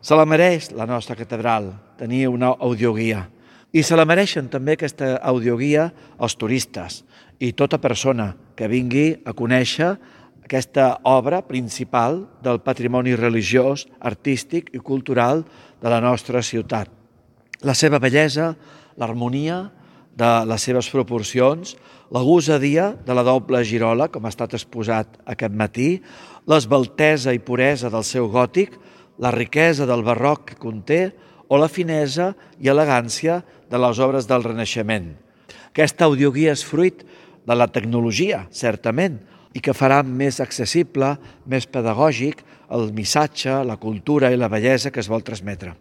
Se la mereix la nostra catedral tenir una audioguia i se la mereixen també aquesta audioguia els turistes i tota persona que vingui a conèixer aquesta obra principal del patrimoni religiós, artístic i cultural de la nostra ciutat. La seva bellesa, l'harmonia de les seves proporcions, la gosadia de la doble girola, com ha estat exposat aquest matí, l'esbaltesa i puresa del seu gòtic, la riquesa del barroc que conté o la finesa i elegància de les obres del Renaixement. Aquesta audioguia és fruit de la tecnologia, certament, i que farà més accessible, més pedagògic, el missatge, la cultura i la bellesa que es vol transmetre.